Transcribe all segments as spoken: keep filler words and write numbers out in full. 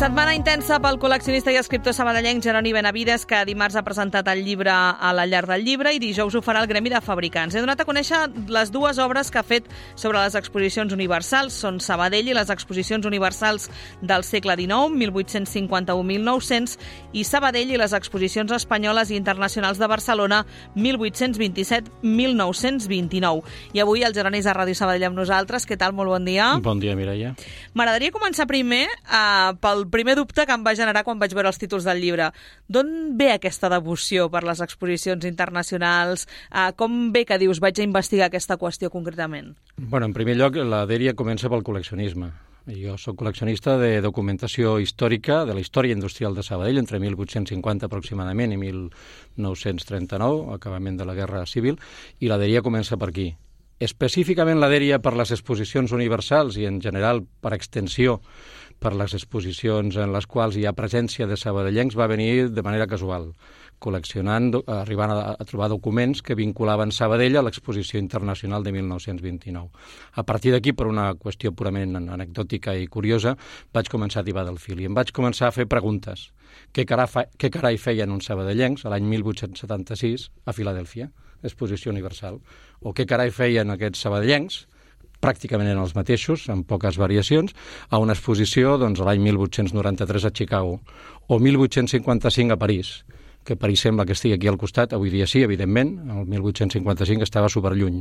Setmana intensa pel col·leccionista i escriptor sabadellenc Jeroni Benavides, que dimarts ha presentat el llibre a la Llar del Llibre i dijous ho farà el Gremi de Fabricants. He donat a conèixer les dues obres que ha fet sobre les exposicions universals. Són Sabadell i les exposicions universals del segle dinou, mil vuit-cents cinquanta-u a mil nou-cents, i Sabadell i les exposicions espanyoles i internacionals de Barcelona, mil vuit-cents vint-i-set a mil nou-cents vint-i-nou. I avui el Jeroni és a Ràdio Sabadell amb nosaltres. Què tal? Molt bon dia. Bon dia, Mireia. M'agradaria començar primer eh, pel primer dubte que em va generar quan vaig veure els títols del llibre. D'on ve aquesta devoció per les exposicions internacionals? Eh, com ve que dius vaig a investigar aquesta qüestió concretament? Bueno, en primer lloc, la dèria comença pel col·leccionisme. Jo soc col·leccionista de documentació històrica de la història industrial de Sabadell entre mil vuit-cents cinquanta aproximadament i mil nou-cents trenta-nou, acabament de la Guerra Civil, i la dèria comença per aquí. Específicament la dèria per les exposicions universals i en general per extensió per les exposicions en les quals hi ha presència de sabadellencs va venir de manera casual, col·leccionant, arribant a, a trobar documents que vinculaven Sabadell a l'exposició internacional de mil nou-cents vint-i-nou. A partir d'aquí, per una qüestió purament anecdòtica i curiosa, vaig començar a tibar del fil i em vaig començar a fer preguntes. Què carai, fa, què carai feien uns sabadellencs a l'any mil vuit-cents setanta-sis a Filadèlfia, exposició universal? O què carai feien aquests sabadellencs, pràcticament eren els mateixos, amb poques variacions, a una exposició doncs, a l'any mil vuit-cents noranta-tres a Chicago, o mil vuit-cents cinquanta-cinc a París, que París sembla que estigui aquí al costat, avui dia sí, evidentment, el mil vuit-cents cinquanta-cinc estava superlluny,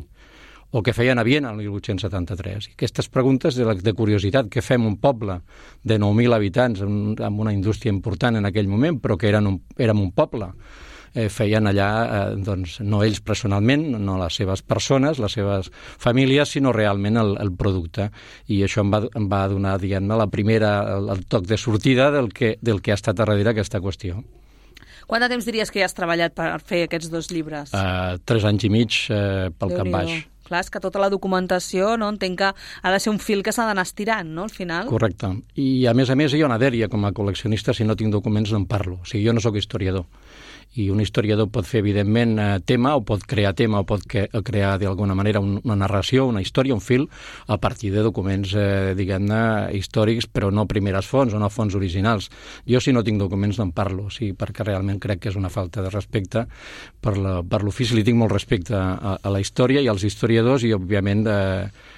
o que feien a Viena el mil vuit-cents setanta-tres. I aquestes preguntes de, la, de curiositat, que fem un poble de nou mil habitants amb, amb una indústria important en aquell moment, però que eren un, érem un poble, Eh, feien allà, eh, doncs, no ells personalment, no les seves persones, les seves famílies, sinó realment el, el producte. I això em va, em va donar, diguem-ne, la primera, el, el toc de sortida del que, del que ha estat a darrere aquesta qüestió. Quant de temps diries que ja has treballat per fer aquests dos llibres? Uh, tres anys i mig uh, pel cap baix. Clar, és que tota la documentació, no, entenc que ha de ser un fil que s'ha d'anar estirant, no, al final? Correcte. I, a més a més, hi ha una dèria com a col·leccionista, si no tinc documents no en parlo. O sigui, jo no sóc historiador. I un historiador pot fer, evidentment, tema, o pot crear tema, o pot que, crear, d'alguna manera, un, una narració, una història, un fil, a partir de documents, eh, diguem-ne, històrics, però no primeres fonts, o no fonts originals. Jo, si no tinc documents, no en parlo, sí, perquè realment crec que és una falta de respecte per, la, per l'ofici. Li tinc molt respecte a, a la història i als historiadors, i, òbviament, eh,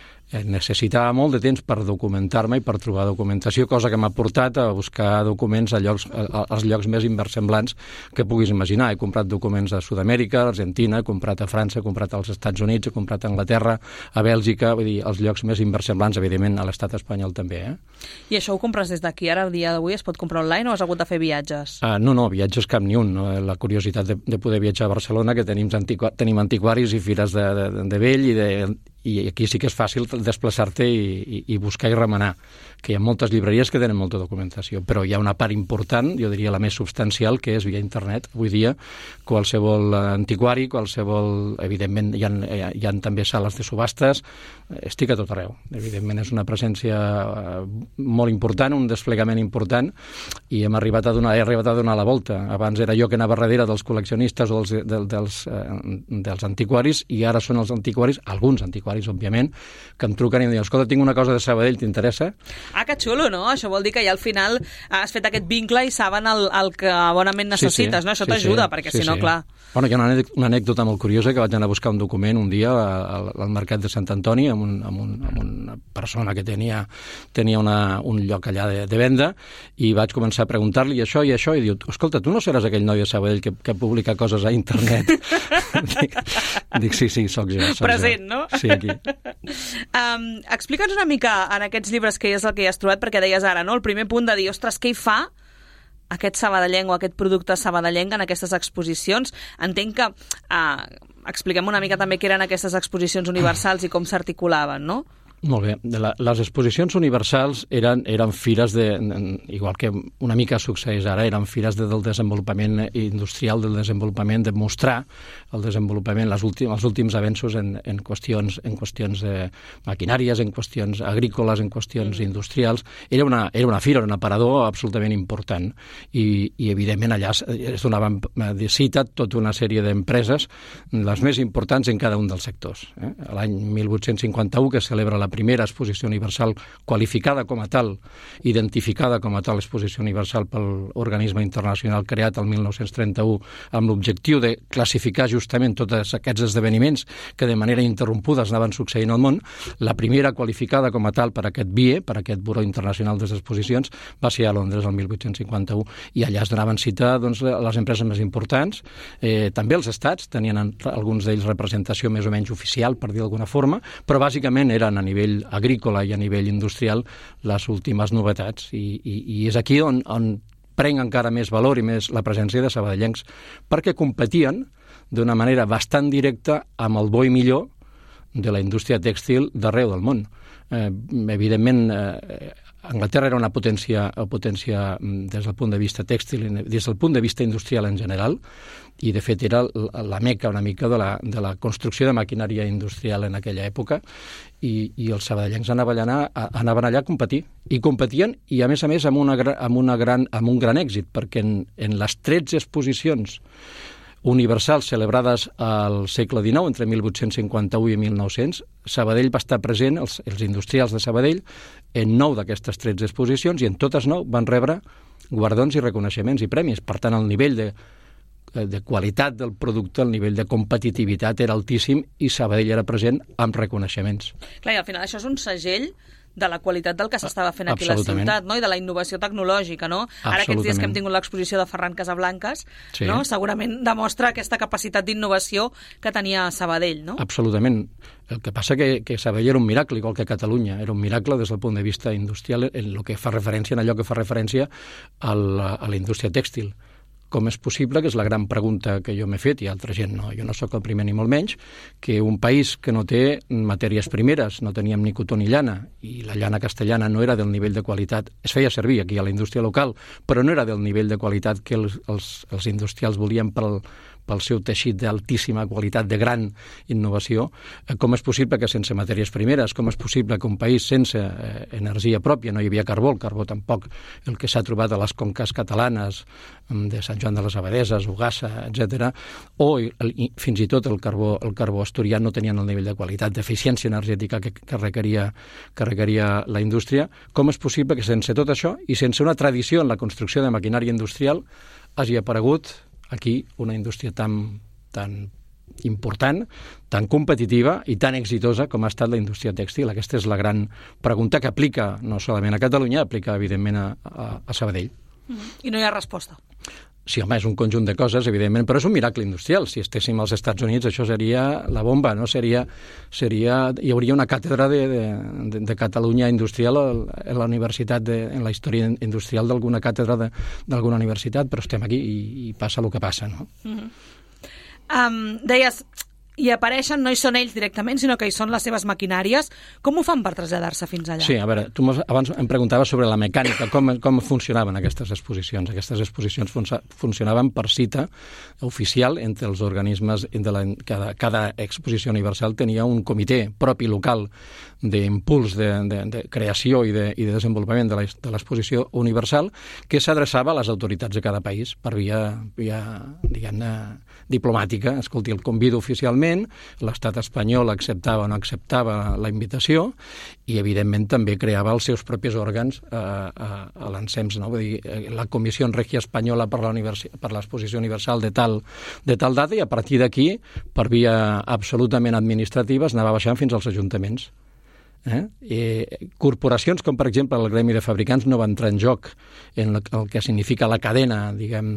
necessitava molt de temps per documentar-me i per trobar documentació, cosa que m'ha portat a buscar documents a llocs, a, als llocs més inversemblants que puguis imaginar. He comprat documents a Sud-amèrica, a Argentina, he comprat a França, he comprat als Estats Units, he comprat a Anglaterra, a Bèlgica, vull dir, els llocs més inversemblants, evidentment, a l'estat espanyol també. Eh? I això ho compres des d'aquí? Ara, el dia d'avui, es pot comprar online o has hagut de fer viatges? Ah, no, no, viatges cap ni un. No? La curiositat de, de poder viatjar a Barcelona, que tenim, antiqu tenim antiquaris i fires de, de, de vell i de... i aquí sí que és fàcil desplaçar-te i, i, i buscar i remenar, que hi ha moltes llibreries que tenen molta documentació, però hi ha una part important, jo diria la més substancial, que és via internet. Avui dia, qualsevol antiquari, qualsevol... Evidentment, hi ha, hi ha també sales de subhastes, estic a tot arreu. Evidentment, és una presència molt important, un desplegament important, i hem arribat a donar, he arribat a donar la volta. Abans era jo que anava darrere dels col·leccionistes o dels, dels, dels, dels antiquaris, i ara són els antiquaris, alguns antiquaris, òbviament, que em truquen i em diuen, escolta, tinc una cosa de Sabadell, t'interessa? Ah, que xulo, no? Això vol dir que ja al final has fet aquest vincle i saben el, el que bonament necessites, sí, sí. No? Això sí, t'ajuda, sí, perquè sí, si no, sí. Clar... Bueno, hi ha una, una anècdota molt curiosa, que vaig anar a buscar un document un dia al, al mercat de Sant Antoni amb, un, amb, un, amb una persona que tenia, tenia una, un lloc allà de, de venda, i vaig començar a preguntar-li això i això, i diu, escolta, tu no seràs aquell noi de Sabadell que, que publica coses a internet? dic, dic, sí, sí, soc jo. Soc Present, jo. No? Sí, aquí. Um, explica'ns una mica en aquests llibres què és el que hi has trobat, perquè deies ara, no? El primer punt de dir, ostres, què hi fa aquest sabadellenc o aquest producte sabadellenc en aquestes exposicions? Entenc que uh, expliquem una mica també què eren aquestes exposicions universals i com s'articulaven, no? Molt bé. La, les exposicions universals eren, eren fires de, igual que una mica succeeix ara, eren fires de, del desenvolupament industrial, del desenvolupament, de mostrar el desenvolupament, les últim, els últims avenços en, en qüestions, en qüestions de maquinàries, en qüestions agrícoles, en qüestions industrials. Era una, era una fira, un aparador absolutament important, i, i evidentment allà es donaven de cita tota una sèrie d'empreses, les més importants en cada un dels sectors. Eh? L'any mil vuit-cents cinquanta-u, que celebra la primera exposició universal qualificada com a tal, identificada com a tal exposició universal pel organisme internacional creat el mil nou-cents trenta-u amb l'objectiu de classificar justament tots aquests esdeveniments que de manera interrompuda anaven succeint al món. La primera qualificada com a tal per aquest B I E, per aquest Buró Internacional de les Exposicions, va ser a Londres el mil vuit-cents cinquanta-u, i allà es donaven cita doncs, les empreses més importants, eh, també els estats, tenien alguns d'ells representació més o menys oficial, per dir d'alguna forma, però bàsicament eren a nivell agrícola i a nivell industrial les últimes novetats, i, i, i és aquí on, on prenc encara més valor i més la presència de sabadellencs, perquè competien d'una manera bastant directa amb el bo i millor de la indústria tèxtil d'arreu del món. Eh, evidentment, eh, Anglaterra era una potència, potència des del punt de vista tèxtil, des del punt de vista industrial en general, i de fet era la meca una mica de la, de la construcció de maquinària industrial en aquella època, i, i els sabadellencs anaven allà, anaven allà a competir, i competien, i a més a més amb, una, amb, una gran, amb un gran èxit, perquè en, en les tretze exposicions universals celebrades al segle dinou, entre mil vuit-cents cinquanta-u i mil nou-cents, Sabadell va estar present, els, els industrials de Sabadell, en nou d'aquestes tretze exposicions, i en totes nou van rebre guardons i reconeixements i premis. Per tant, el nivell de, de qualitat del producte, el nivell de competitivitat era altíssim, i Sabadell era present amb reconeixements. Clar, i al final això és un segell de la qualitat del que s'estava fent aquí a la ciutat, no? I de la innovació tecnològica, no? Ara aquests dies que hem tingut l'exposició de Ferran Casablancas, sí, no? Segurament demostra aquesta capacitat d'innovació que tenia Sabadell, no? Absolutament. El que passa que, que Sabadell era un miracle, igual que Catalunya. Era un miracle des del punt de vista industrial en el que fa referència, en allò que fa referència a la, a la indústria tèxtil. Com és possible, que és la gran pregunta que jo m'he fet, i altra gent no, jo no sóc el primer ni molt menys, que un país que no té matèries primeres, no teníem ni cotó ni llana, i la llana castellana no era del nivell de qualitat, es feia servir aquí a la indústria local, però no era del nivell de qualitat que els, els, els industrials volien pel, pel seu teixit d'altíssima qualitat, de gran innovació. Com és possible que sense matèries primeres, com és possible que un país sense eh, energia pròpia, no hi havia carbó, el carbó tampoc, el que s'ha trobat a les conques catalanes de Sant Joan de les Abadeses, Ugassa, etcètera, o el, fins i tot el carbó, el carbó asturià no tenien el nivell de qualitat, d'eficiència energètica que, que, requeria, que requeria la indústria. Com és possible que sense tot això i sense una tradició en la construcció de maquinària industrial hagi aparegut aquí una indústria tan, tan important, tan competitiva i tan exitosa com ha estat la indústria tèxtil? Aquesta és la gran pregunta que aplica no solament a Catalunya, aplica evidentment a, a, a Sabadell. Mm-hmm. I no hi ha resposta. Sí, home, és un conjunt de coses, evidentment, però és un miracle industrial. Si estéssim als Estats Units, això seria la bomba, no? Seria, seria, hi hauria una càtedra de, de, de Catalunya industrial a la universitat, de, en la història industrial d'alguna càtedra d'alguna universitat, però estem aquí i, i passa el que passa, no? Mm-hmm. um, deies, i apareixen, no hi són ells directament, sinó que hi són les seves maquinàries. Com ho fan per traslladar-se fins allà? Sí, a veure, tu abans em preguntaves sobre la mecànica, com, com funcionaven aquestes exposicions. Aquestes exposicions fun funcionaven per cita oficial entre els organismes, de la, cada, cada exposició universal tenia un comitè propi local d'impuls, de, de, de creació i de, i de desenvolupament de l'exposició universal, que s'adreçava a les autoritats de cada país per via, via diguem-ne, diplomàtica. Escolti, el convido oficialment, l'estat espanyol acceptava o no acceptava la invitació, i evidentment també creava els seus propis òrgans eh, a, a l'ensems, no? Vull dir, la Comissió Regia Espanyola per l'Exposició Universal de tal, de tal data, i a partir d'aquí, per via absolutament administrativa, es anava baixant fins als ajuntaments. Eh? Eh, corporacions com per exemple el Gremi de Fabricants no va entrar en joc en el, el que significa la cadena, diguem,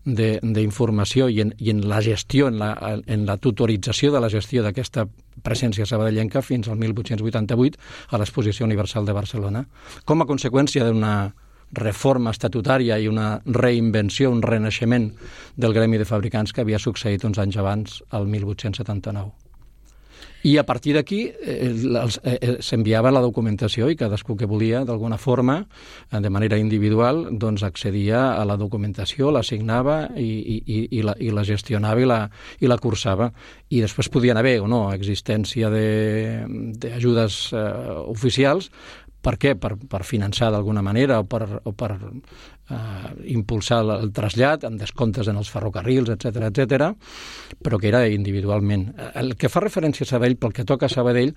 d'informació i, en, i en la gestió, en la, en la tutorització de la gestió d'aquesta presència sabadellenca fins al mil vuit-cents vuitanta-vuit a l'Exposició Universal de Barcelona, com a conseqüència d'una reforma estatutària i una reinvenció, un renaixement del Gremi de Fabricants que havia succeït uns anys abans, el mil vuit-cents setanta-nou. I a partir d'aquí eh, eh, s'enviava la documentació i cadascú que volia, d'alguna forma, eh, de manera individual, doncs accedia a la documentació, la signava i, i, i, la, i la gestionava i la, i la cursava. I després podien haver o no existència d'ajudes eh, oficials, Per què? Per, per finançar d'alguna manera o per, o per eh, impulsar el trasllat amb descomptes en els ferrocarrils, etcètera, etcètera, però que era individualment. El que fa referència a Sabadell, pel que toca a Sabadell,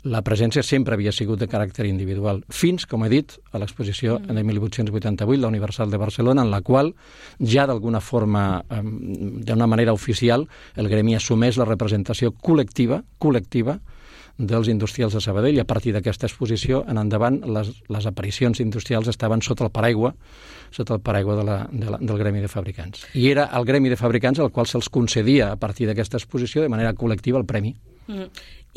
la presència sempre havia sigut de caràcter individual, fins, com he dit, a l'exposició mm. en el mil vuit-cents vuitanta-vuit, la Universal de Barcelona, en la qual ja d'alguna forma, eh, d'una manera oficial, el gremi assumeix la representació col·lectiva, col·lectiva, dels industrials de Sabadell, i a partir d'aquesta exposició en endavant les, les aparicions industrials estaven sota el paraigua sota el paraigua de la, de la, del gremi de fabricants. I era el gremi de fabricants al qual se'ls concedia a partir d'aquesta exposició de manera col·lectiva el premi. Mm.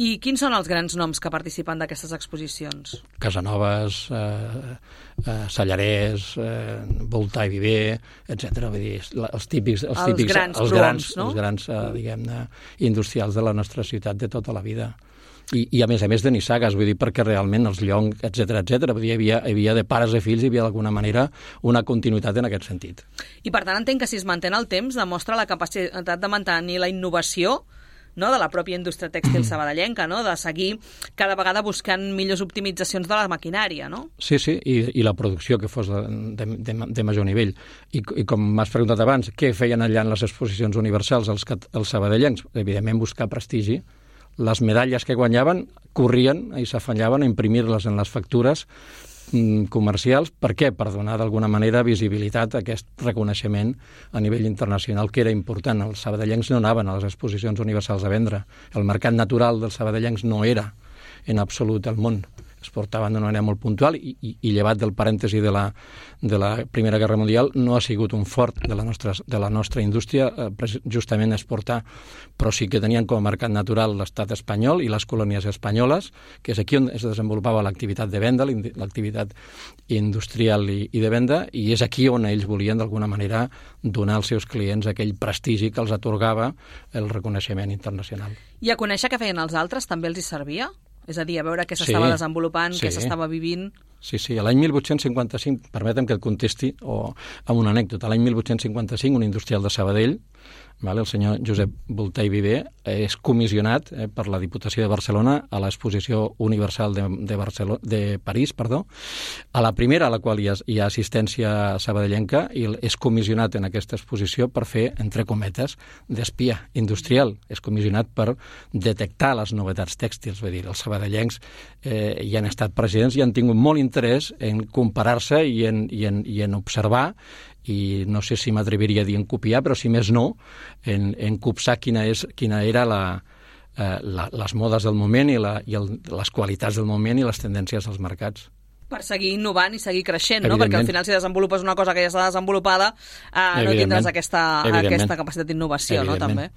I quins són els grans noms que participen d'aquestes exposicions? Casanovas, eh, eh, Sallarès, eh, Volta i Viver, etcètera. Vull dir, els típics, els, els típics, grans els proms, grans, no? els grans eh, diguem-ne, industrials de la nostra ciutat de tota la vida. I, i a més a més de nissagues, vull dir, perquè realment els Llong, etcètera, etcètera, vull dir, hi havia, hi havia de pares i fills, hi havia d'alguna manera una continuïtat en aquest sentit. I per tant entenc que si es manté el temps demostra la capacitat de mantenir la innovació, no?, de la pròpia indústria tèxtil sabadellenca, no?, de seguir cada vegada buscant millors optimitzacions de la maquinària, no? Sí, sí, i, i la producció que fos de, de, de, de major nivell. I, i com m'has preguntat abans, què feien allà en les exposicions universals els, els sabadellencs? Evidentment buscar prestigi. Les medalles que guanyaven corrien i s'afanyaven a imprimir-les en les factures mm, comercials. Per què? Per donar d'alguna manera visibilitat a aquest reconeixement a nivell internacional, que era important. Els sabadellencs no anaven a les exposicions universals a vendre. El mercat natural dels sabadellencs no era en absolut el món. Es portaven d'una manera molt puntual i, i, i llevat del parèntesi de la, de la Primera Guerra Mundial no ha sigut un fort de la nostra, de la nostra indústria eh, justament exportar, però sí que tenien com a mercat natural l'estat espanyol i les colònies espanyoles, que és aquí on es desenvolupava l'activitat de venda, l'activitat industrial i, i de venda, i és aquí on ells volien d'alguna manera donar als seus clients aquell prestigi que els atorgava el reconeixement internacional. I a conèixer què feien els altres també els hi servia? És a dir, a veure què s'estava sí, desenvolupant, sí. què s'estava vivint... Sí, sí. L'any mil vuit-cents cinquanta-cinc, permetem que et contesti o amb una anècdota, l'any mil vuit-cents cinquanta-cinc un industrial de Sabadell, vale, el senyor Josep Volta i Viver, és comissionat eh, per la Diputació de Barcelona a l'Exposició Universal de, de, Barcelona, de París, perdó. A la primera, a la qual hi ha, hi ha assistència sabadellenca, i és comissionat en aquesta exposició per fer, entre cometes, d'espia industrial. És comissionat per detectar les novetats tèxtils, vull dir, els sabadellencs eh, hi han estat presidents i han tingut molt interès en comparar-se i en, i en, i en observar, i no sé si m'atreviria a dir en copiar, però si més no, en, en copsar quina, és, quina era la, eh, la, les modes del moment i, la, i el, les qualitats del moment i les tendències dels mercats. Per seguir innovant i seguir creixent, no? Perquè al final si desenvolupes una cosa que ja està desenvolupada eh, no tindràs aquesta, aquesta capacitat d'innovació, no? També.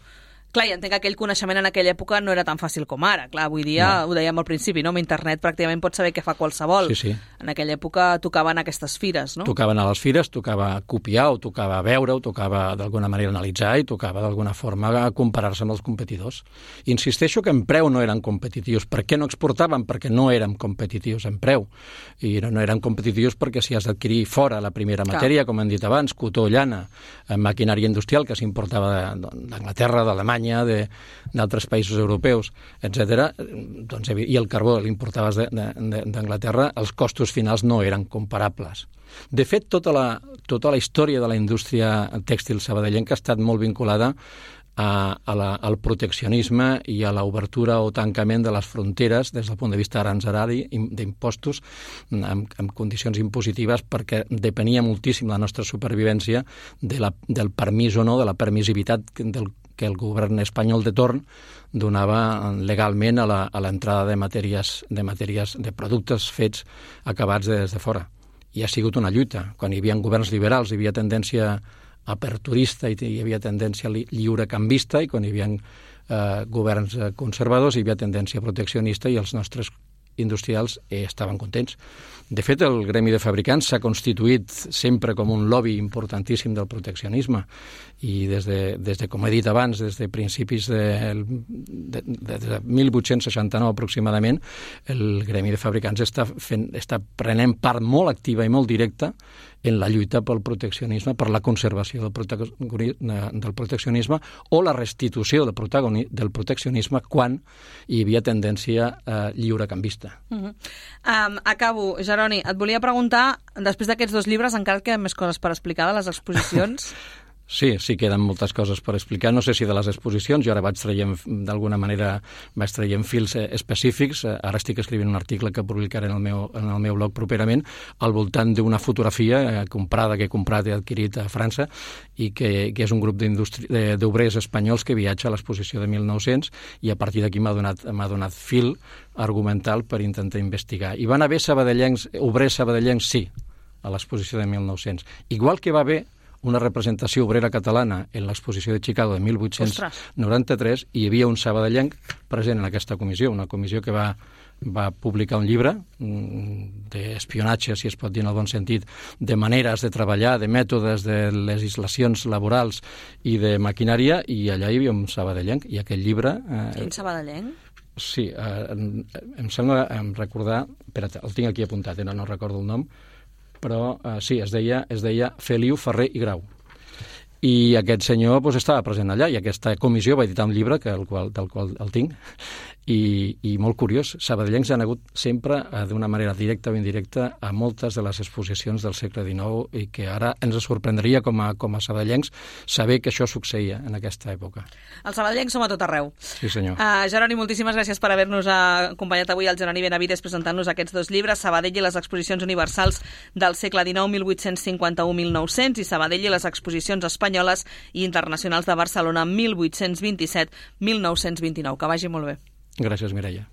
Clar, i entenc que aquell coneixement en aquella època no era tan fàcil com ara. Clar, avui dia, no. Ho dèiem al principi, no? Amb internet pràcticament pots saber què fa qualsevol. Sí, sí. En aquella època tocaven aquestes fires, no? Tocaven a les fires, tocava copiar, o tocava veure, o tocava d'alguna manera analitzar, i tocava d'alguna forma comparar-se amb els competidors. Insisteixo que en preu no eren competitius. Per què no exportaven? Perquè no érem competitius en preu. I no, no eren competitius perquè si has d'adquirir fora la primera matèria, Clar. Com hem dit abans, cotó, llana, maquinària industrial que s'importava d'Anglaterra, d'Alemanya, d'altres països europeus, etcètera, doncs, i el carbó l'importaves d'Anglaterra, els costos finals no eren comparables. De fet, tota la, tota la història de la indústria tèxtil sabadellenca ha estat molt vinculada a, a la, al proteccionisme i a l'obertura o tancament de les fronteres des del punt de vista aranzelari, d'impostos, amb, amb condicions impositives, perquè depenia moltíssim la nostra supervivència de la, del permís o no, de la permissivitat del que el govern espanyol de torn donava legalment a l'entrada de matèries, de matèries, de productes fets acabats des de fora. I ha sigut una lluita. Quan hi havia governs liberals hi havia tendència aperturista i hi havia tendència lliurecanvista, i quan hi havia eh, governs conservadors hi havia tendència proteccionista, i els nostres industrials eh, estaven contents. De fet, el gremi de fabricants s'ha constituït sempre com un lobby importantíssim del proteccionisme, i des de, des de com he dit abans, des de principis de, de, de, de mil vuit-cents seixanta-nou aproximadament, el gremi de fabricants està, fent, està prenent part molt activa i molt directa en la lluita pel proteccionisme, per la conservació del, prote del proteccionisme o la restitució del, del proteccionisme quan hi havia tendència eh, lliurecanvista. col·leccionista. Uh -huh. um, acabo, Jeroni, et volia preguntar, després d'aquests dos llibres encara et queden més coses per explicar de les exposicions? Sí, sí, queden moltes coses per explicar. No sé si de les exposicions, jo ara vaig traient, d'alguna manera, vaig traient fils específics. Ara estic escrivint un article que publicaré en el meu, en el meu blog properament al voltant d'una fotografia comprada, que he comprat i adquirit a França, i que, que és un grup d'obrers espanyols que viatja a l'exposició de mil nou-cents, i a partir d'aquí m'ha donat, m'ha donat fil argumental per intentar investigar. I van haver sabadellencs, obrers sabadellencs, sí, a l'exposició de mil nou-cents. Igual que va haver una representació obrera catalana en l'exposició de Chicago de mil vuit-cents noranta-tres, i hi havia un sabadellenc present en aquesta comissió, una comissió que va, va publicar un llibre d'espionatge, si es pot dir en el bon sentit, de maneres de treballar, de mètodes, de legislacions laborals i de maquinària, i allà hi havia un sabadellenc, i aquell llibre... Eh, Quin sabadellenc? Sí, eh, em, em sembla em recordar... Espera't, el tinc aquí apuntat, eh, no, no recordo el nom, però eh, sí, es deia, es deia Feliu Ferrer i Grau. I aquest senyor pues, estava present allà, i aquesta comissió va editar un llibre que, el qual, del qual el tinc, i, i molt curiós, sabadellencs han hagut sempre, eh, d'una manera directa o indirecta, a moltes de les exposicions del segle dinou, i que ara ens sorprendria com a, com a sabadellencs saber que això succeïa en aquesta època. Els sabadellencs som a tot arreu. Sí, senyor. Uh, Jeroni, moltíssimes gràcies per haver-nos acompanyat avui, al Jeroni Benavides, presentant-nos aquests dos llibres, Sabadell i les exposicions universals del segle dinou, mil vuit-cents cinquanta-u a mil nou-cents, i Sabadell i les exposicions espanyoles i internacionals de Barcelona, mil vuit-cents vint-i-set a mil nou-cents vint-i-nou. Que vagi molt bé. Gràcies, Mireia.